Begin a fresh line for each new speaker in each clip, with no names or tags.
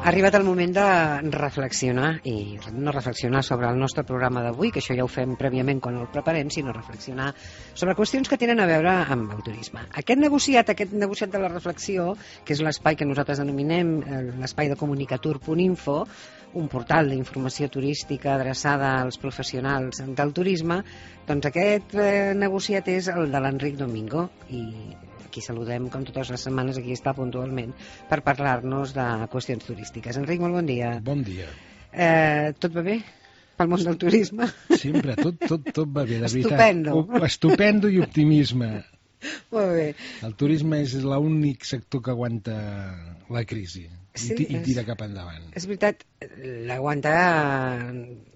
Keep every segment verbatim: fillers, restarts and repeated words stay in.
Ha arribat el moment de reflexionar, i no reflexionar sobre el nostre programa d'avui, que això ja ho fem prèviament quan el preparem, sinó reflexionar sobre qüestions que tenen a veure amb el turisme. Aquest negociat, aquest negociat de la reflexió, que és l'espai que nosaltres denominem l'espai de comunicatur punt info, un portal d'informació turística adreçada als professionals del turisme, doncs aquest eh, negociat és el de l'Enric Domingo, i aquí saludem, com totes les setmanes, aquí està puntualment, per parlar-nos de qüestions turístiques. Enric, molt bon dia.
Bon dia.
Eh, tot va bé? Pel món del turisme?
Sempre, tot, tot, tot va bé, de veritat.
Estupendo.
Estupendo i optimisme.
Molt bé.
El turisme és l'únic sector que aguanta la crisi
sí,
i, i tira
és,
cap endavant.
És veritat, l'aguanta...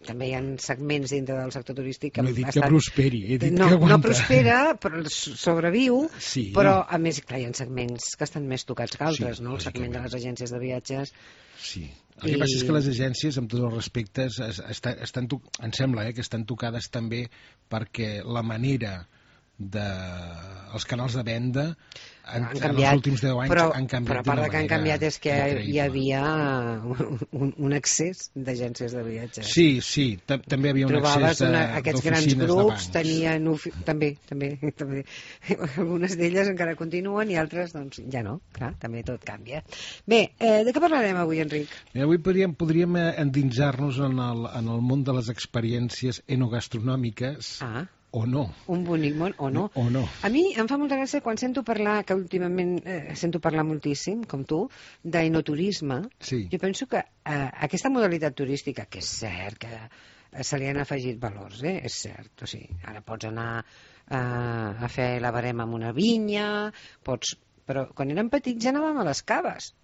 També hi ha segments dintre del sector turístic que...
No he dit
estan...
que prosperi, he dit
no,
que aguanta.
No prospera, però sobreviu,
sí.
Però a més, clar, hi ha segments que estan més tocats que altres,
sí,
no? El segment de les agències de viatges...
Sí, el que I... passa és que les agències, amb tots els respectes, estan, estan to... em sembla eh, que estan tocades també perquè la manera de... els canals de venda en,
han
en
canviat,
els últims deu anys
però,
han canviat
però a part
d'una
de que han canviat és que
increïble.
Hi havia un, un excés d'agències de viatges.
Sí, sí, també hi havia un
Trobaves
excés
una, aquests grans grups
de
tenien també, també, també algunes d'elles encara continuen i altres doncs ja no, clar, també tot canvia. Bé, eh, de què parlarem avui, Enric?
Bé, avui podríem, podríem endinsar-nos en el, en el món de les experiències enogastronòmiques.
Ah,
o no.
Un bonic món, o no.
O no.
A mi em fa molta gràcia quan sento parlar, que últimament eh, sento parlar moltíssim, com tu, d'enoturisme.
Sí.
Jo penso que eh, aquesta modalitat turística, que és cert que eh, se li han afegit valors, eh? És cert. O sigui, ara pots anar eh, a fer la barema en una vinya, pots... però quan érem petits ja anàvem a les caves.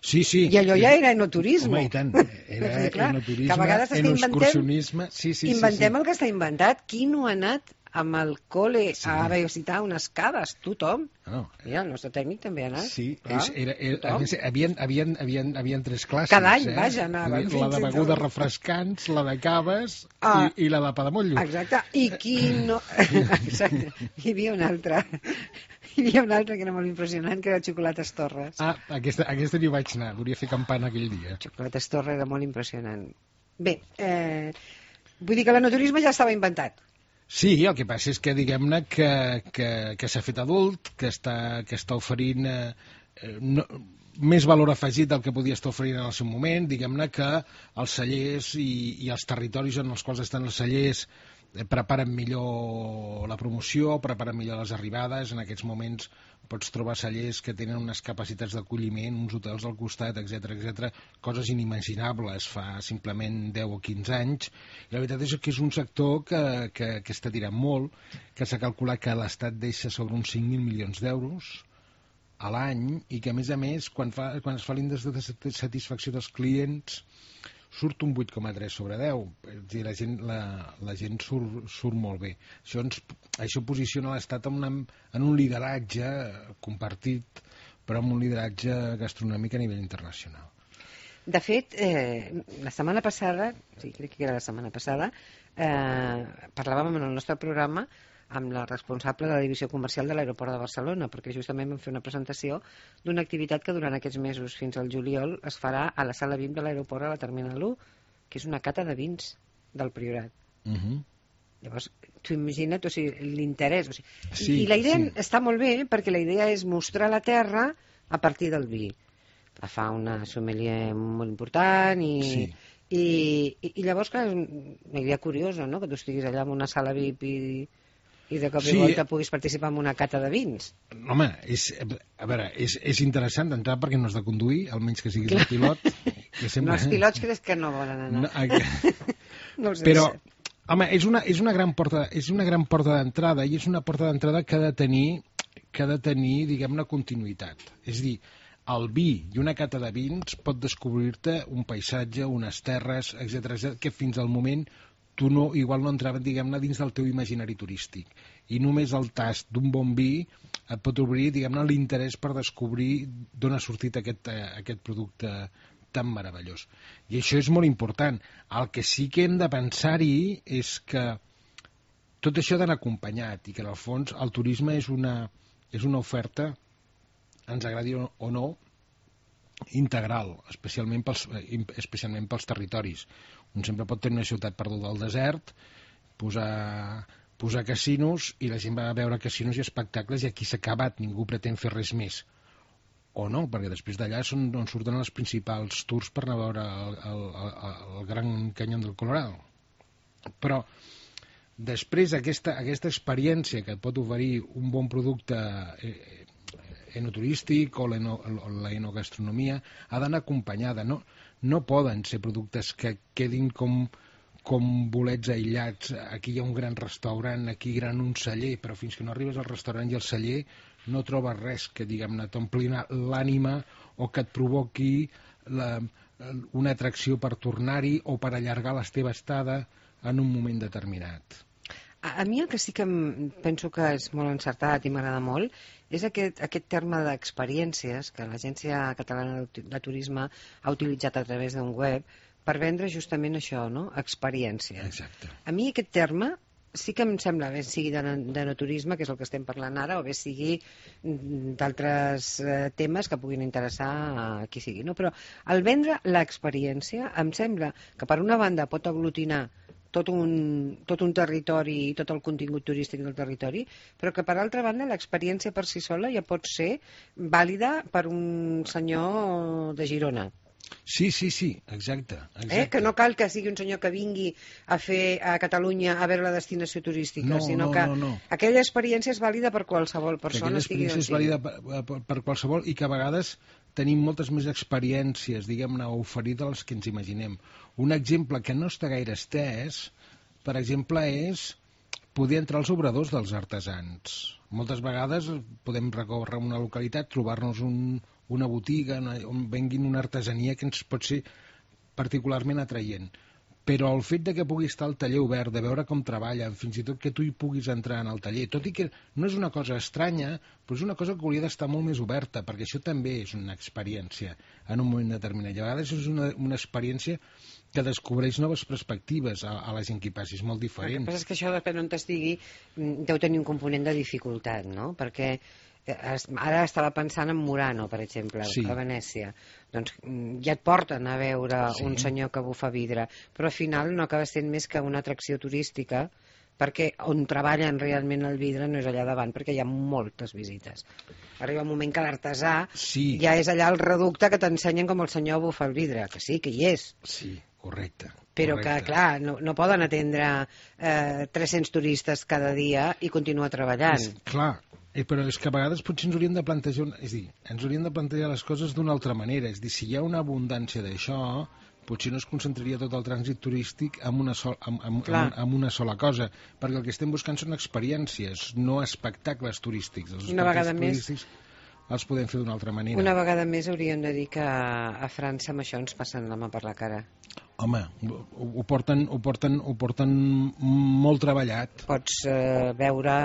Sí, sí.
I allò ja era enoturisme.
Home, i tant. Era
sí, clar,
enoturisme, enoexcursionisme. Sí, sí,
inventem
sí, sí.
el que està inventat. Qui no ha anat amb el col·le sí. a visitar unes caves? Tothom.
No.
Mira, el nostre tècnic també ha anat.
Sí,
clar,
és, era, era, a més, havien, havien, havien, havien tres classes.
Cada any,
eh?
vaja, anàvem.
La de begudes refrescants, la de caves
ah,
i, i la de pa de motllo.
Exacte. I qui no... Exacte. Hi havia una altra... Hi havia una altra que era molt impressionant, que era Xocolates Torres.
Ah, aquesta, aquesta n'hi vaig anar, volia fer campana aquell dia.
Xocolates Torres era molt impressionant. Bé, eh, vull dir que l'enoturisme ja estava inventat.
Sí, el que passa és que diguem-ne que, que, que s'ha fet adult, que està, que està oferint eh, no, més valor afegit del que podia estar oferint en el seu moment, diguem-ne que els cellers i, i els territoris en els quals estan els cellers preparen millor la promoció, preparen millor les arribades. En aquests moments pots trobar cellers que tenen unes capacitats d'acolliment, uns hotels al costat, etcètera, etcètera, coses inimaginables fa simplement deu o quinze anys. I la veritat és que és un sector que, que, que està tirant molt, que s'ha calculat que l'Estat deixa sobre uns cinc mil milions d'euros a l'any i que, a més a més, quan, fa, quan es fa l'índex de satisfacció dels clients surt un vuit coma tres sobre deu, és a dir, la gent, la, la gent surt, surt molt bé. Això, ens, això posiciona l'Estat en, una, en un lideratge compartit, però en un lideratge gastronòmic a nivell internacional.
De fet, eh, la setmana passada, sí, crec que era la setmana passada, eh, parlàvem en el nostre programa amb la responsable de la divisió comercial de l'aeroport de Barcelona, perquè justament vam fer una presentació d'una activitat que durant aquests mesos fins al juliol es farà a la sala V I P de l'aeroport a la Terminal u, que és una cata de vins del Priorat.
Uh -huh.
Llavors, tu imagina't, o sigui, l'interès. O sigui,
sí,
I la idea
sí.
està molt bé, perquè la idea és mostrar la terra a partir del vi. La fa una sommelier molt important i...
Sí.
I, i, i llavors, clar, és una idea curiosa, no?, que tu estiguis allà en una sala V I P i... i de cop i sí. volta puguis participar en una cata de vins.
Home, és, a veure, és, és interessant d'entrar perquè no has de conduir, almenys que siguis el pilot. Que sempre...
No, els pilots crec que no volen anar.
No, aqu... no sé Però, home, és una, és una gran porta, és una gran porta d'entrada i és una porta d'entrada que ha de tenir, que ha de tenir, diguem-ne, continuïtat. És a dir, el vi i una cata de vins pot descobrir-te un paisatge, unes terres, etcètera, etcètera, que fins al moment tu no, igual no entraven, diguem-ne, dins del teu imaginari turístic. I només el tast d'un bon vi et pot obrir, diguem-ne, l'interès per descobrir d'on ha sortit aquest, aquest producte tan meravellós. I això és molt important. El que sí que hem de pensar-hi és que tot això ha d'anar acompanyat i que, en el fons, el turisme és una, és una oferta, ens agradi o no, integral, especialment pels, especialment pels territoris. Un sempre pot tenir una ciutat perduda al desert, posar, posar casinos, i la gent va a veure casinos i espectacles, i aquí s'ha acabat, ningú pretén fer res més. O no, perquè després d'allà són on surten els principals tours per anar a veure el, el, el, el Gran Canyón del Colorado. Però després aquesta, aquesta experiència que et pot oferir un bon producte eh, enoturístic o l'enogastronomia ha d'anar acompanyada. No, no poden ser productes que quedin com, com bolets aïllats. Aquí hi ha un gran restaurant, aquí hi ha un celler, però fins que no arribes al restaurant i al celler no trobes res que, diguem-ne, t'ompli l'ànima o que et provoqui la, una atracció per tornar-hi o per allargar la teva estada en un moment determinat.
A, a mi el que sí que penso que és molt encertat i m'agrada molt és aquest, aquest terme d'experiències que l'Agència Catalana de Turisme ha utilitzat a través d'un web per vendre justament això, no? Experiències.
Exacte.
A mi aquest terme sí que em sembla, bé sigui d'enoturisme, que és el que estem parlant ara, o bé sigui d'altres eh, temes que puguin interessar a qui sigui, no? Però al vendre l'experiència em sembla que per una banda pot aglutinar tot un, tot un territori i tot el contingut turístic del territori, però que per altra banda l'experiència per si sola ja pot ser vàlida per un senyor de Girona.
Sí, sí, sí, exacte, exacte.
Eh? Que no cal que sigui un senyor que vingui a fer a Catalunya a veure la destinació turística,
no,
sinó
no,
que
no, no.
aquella experiència és vàlida per qualsevol persona.
Aquella experiència és vàlida per, per, per qualsevol, i que a vegades tenim moltes més experiències, diguem-ne, a oferir dels que ens imaginem. Un exemple que no està gaire estès, per exemple, és poder entrar als obradors dels artesans. Moltes vegades podem recórrer a una localitat, trobar-nos un, una botiga on venguin una artesania que ens pot ser particularment atraient. Però el fet de que pugui estar al taller obert, de veure com treballen, fins i tot que tu hi puguis entrar en el taller, tot i que no és una cosa estranya, però és una cosa que hauria d'estar molt més oberta, perquè això també és una experiència en un moment determinat. I a vegades és una, una experiència que descobreix noves perspectives a, a la gent que hi passi, és molt diferent.
El que passa és que això, depèn on t'estigui, deu tenir un component de dificultat, no? Perquè ara estava pensant en Murano, per exemple, sí. A Venècia. Doncs ja et porten a veure sí. Un senyor que bufa vidre, però al final no acaba sent més que una atracció turística, perquè on treballen realment el vidre no és allà davant, perquè hi ha moltes visites. Arriba un moment que l'artesà
sí.
Ja és allà al reducte que t'ensenyen com el senyor bufa el vidre, que sí, que hi és.
Sí, correcte.
Però
correcte.
que, clar, no, no poden atendre eh, tres-cents turistes cada dia i continuar treballant.
És, clar, eh, però és que a vegades potser ens hauríem de plantejar, és dir, ens hauríem de plantejar les coses d'una altra manera. És dir, si hi ha una abundància d'això, potser no es concentraria tot el trànsit turístic en una, sol, en, en, en, en una sola cosa, perquè el que estem buscant són experiències, no espectacles turístics. Els
una vegada
turístics
més
els podem fer d'una altra manera.
Una vegada més hauríem de dir que a França amb això ens passen la mà per la cara.
Home, ho, ho, porten, ho, porten, ho porten molt treballat.
Pots eh, veure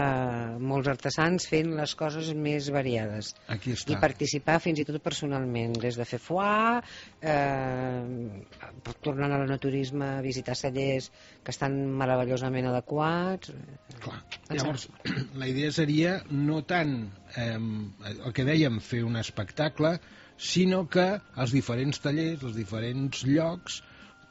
molts artesans fent les coses més variades.
Aquí està.
I participar fins i tot personalment, des de fer foie, eh, tornant a l'enoturisme, visitar cellers que estan meravellosament adequats.
Clar. Llavors, la idea seria no tant eh, el que dèiem, fer un espectacle, sinó que els diferents tallers, els diferents llocs,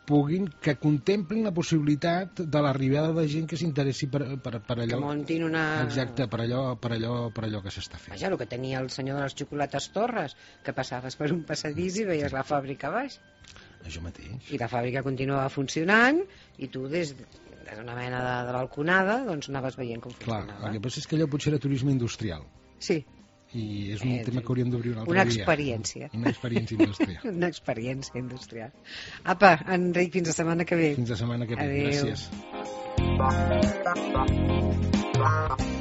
puguin, que contemplin la possibilitat de l'arribada de gent que s'interessi per, per, per allò.
Que muntin una...
Exacte, per allò, per allò, per allò que s'està fent.
Vaja, el que tenia el senyor de les xocolates Torres, que passaves per un passadís i veies la fàbrica a baix.
Això mateix.
I la fàbrica continuava funcionant i tu des d'una mena de, de balconada doncs anaves veient com funcionava.
Clar, el que passa és que allò potser era turisme industrial.
Sí.
I és un eh, tema que hauríem d'obrir un altre
una
dia.
Experiència.
Una experiència industrial.
Una experiència industrial. Apa, Enric, fins la setmana que ve.
Fins la setmana que ve.
Adéu.
Gràcies.